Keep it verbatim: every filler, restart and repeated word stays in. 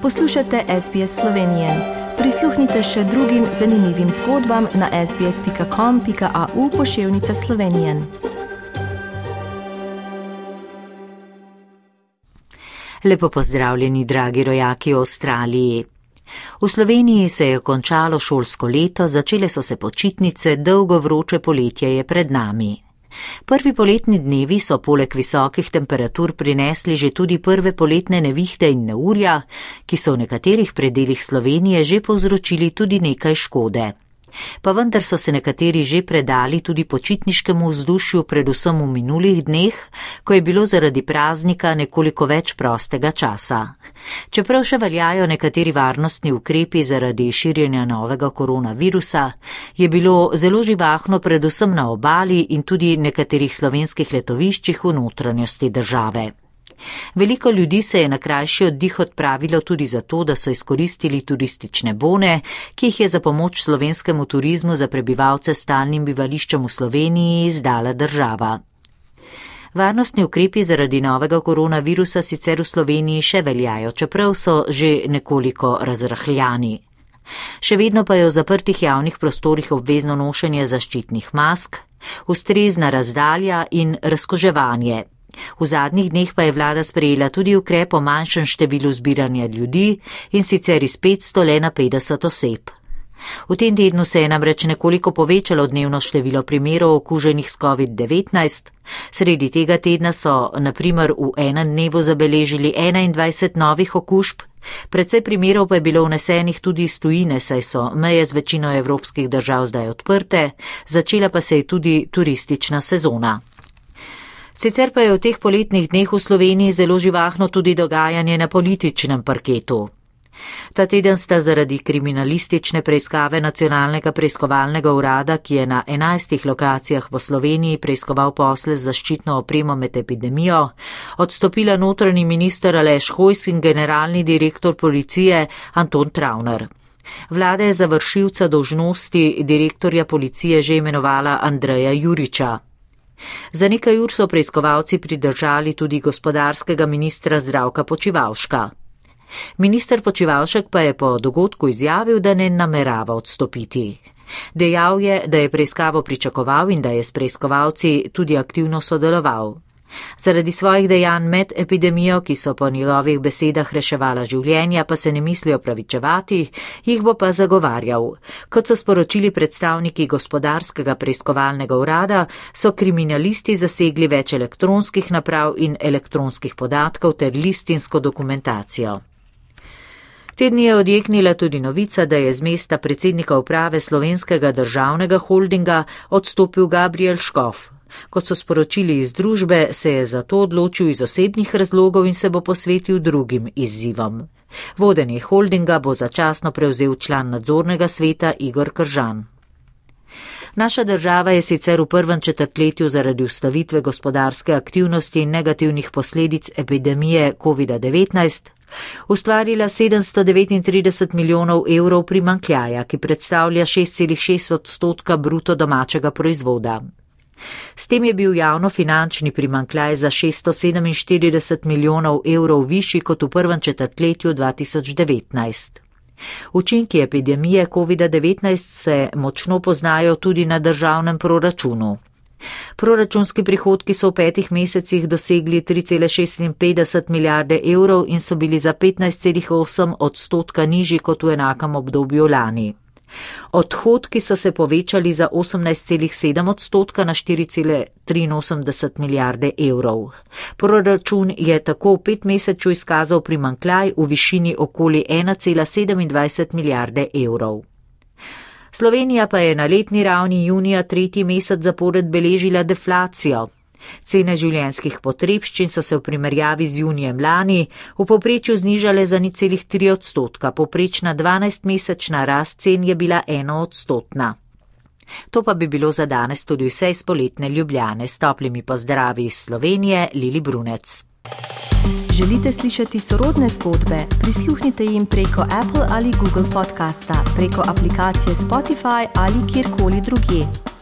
Poslušate S B S Slovenije. Prisluhnite še drugim zanimivim zgodbam na sbs pika com pika au pošiljka Slovenije. Lepo pozdravljeni, dragi rojaki v Avstraliji. V Sloveniji se je končalo šolsko leto, začele so se počitnice, dolgo vroče poletje je pred nami. Prvi poletni dnevi so poleg visokih temperatur prinesli že tudi prve poletne nevihte in neurja, ki so v nekaterih predelih Slovenije že povzročili tudi nekaj škode. Pa vendar so se nekateri že predali tudi počitniškemu vzdušju, predvsem v minulih dneh, ko je bilo zaradi praznika nekoliko več prostega časa. Čeprav še veljajo nekateri varnostni ukrepi zaradi širjenja novega koronavirusa, je bilo zelo živahno predvsem na obali in tudi nekaterih slovenskih letoviščih v notranjosti države. Veliko ljudi se je na krajši oddih odpravilo tudi zato, da so izkoristili turistične bone, ki jih je za pomoč slovenskemu turizmu za prebivalce s stalnim bivališčem v Sloveniji izdala država. Varnostni ukrepi zaradi novega koronavirusa sicer v Sloveniji še veljajo, čeprav so že nekoliko razrahljani. Še vedno pa je v zaprtih javnih prostorih obvezno nošenje zaščitnih mask, ustrezna razdalja in razkuževanje. V zadnjih dneh pa je vlada sprejela tudi ukrep o manjšem številu zbiranja ljudi in sicer iz petsto le na petdeset oseb. V tem tednu se je namreč nekoliko povečalo dnevno število primerov okuženih s covid devetnajst. Sredi tega tedna so na primer v enem dnevu zabeležili enaindvajset novih okužb, precej primerov pa je bilo vnesenih tudi iz tujine, saj so meje z večino evropskih držav zdaj odprte, začela pa se je tudi turistična sezona. Sicer pa je v teh poletnih dneh v Sloveniji zelo živahno tudi dogajanje na političnem parketu. Ta teden sta zaradi kriminalistične preiskave Nacionalnega preiskovalnega urada, ki je na enajstih lokacijah po Sloveniji preiskoval posle z zaščitno opremo med epidemijo, odstopila notranji minister Aleš Hojs in generalni direktor policije Anton Travner. Vlada je za vršilca dolžnosti direktorja policije že imenovala Andreja Juriča. Za nekaj ur so preiskovalci pridržali tudi gospodarskega ministra Zdravka Počivalška. Minister Počivalšek pa je po dogodku izjavil, da ne namerava odstopiti. Dejal je, da je preiskavo pričakoval in da je s preiskovalci tudi aktivno sodeloval. Zaradi svojih dejanj med epidemijo, ki so po njegovih besedah reševala življenja, pa se ne misli opravičevati, jih bo pa zagovarjal. Kot so sporočili predstavniki gospodarskega preiskovalnega urada, so kriminalisti zasegli več elektronskih naprav in elektronskih podatkov ter listinsko dokumentacijo. Te dni je odjeknila tudi novica, da je z mesta predsednika uprave Slovenskega državnega holdinga odstopil Gabriel Škof. Kot so sporočili iz družbe, se je zato odločil iz osebnih razlogov in se bo posvetil drugim izzivom. Vodenje holdinga bo začasno prevzel član nadzornega sveta Igor Kržan. Naša država je sicer v prvem četrtletju zaradi ustavitve gospodarske aktivnosti in negativnih posledic epidemije covid devetnajst ustvarila sedemsto devetintrideset milijonov evrov primanjkljaja, ki predstavlja šest celih šest odstotka bruto domačega proizvoda. S tem je bil javnofinančni primanjkljaj za šeststo sedeminštirideset milijonov evrov višji kot v prvem četrtletju dva tisoč devetnajst. Učinki epidemije covid devetnajst se močno poznajo tudi na državnem proračunu. Proračunski prihodki so v petih mesecih dosegli tri cele šestinpetdeset milijarde evrov in so bili za petnajst celih osem odstotka nižji kot v enakem obdobju lani. Odhodki so se povečali za osemnajst celih sedem odstotka na štiri cele triinosemdeset milijarde evrov. Proračun je tako v petmesečju izkazal primanjkljaj v višini okoli ena cela sedemindvajset milijarde evrov. Slovenija pa je na letni ravni junija tretji mesec zapored beležila deflacijo. Cene življenjskih potrebščin so se v primerjavi z junijem lani v povprečju znižale za nič celih tri odstotka, povprečna dvanajstmesečna rast cen je bila enoodstotna. To pa bi bilo za danes tudi vse iz poletne Ljubljane. S toplimi pozdravi iz Slovenije, Lili Brunec. Želite slišati sorodne zgodbe? Prisluhnite jim preko Apple ali Google podcasta, preko aplikacije Spotify ali kjerkoli drugje.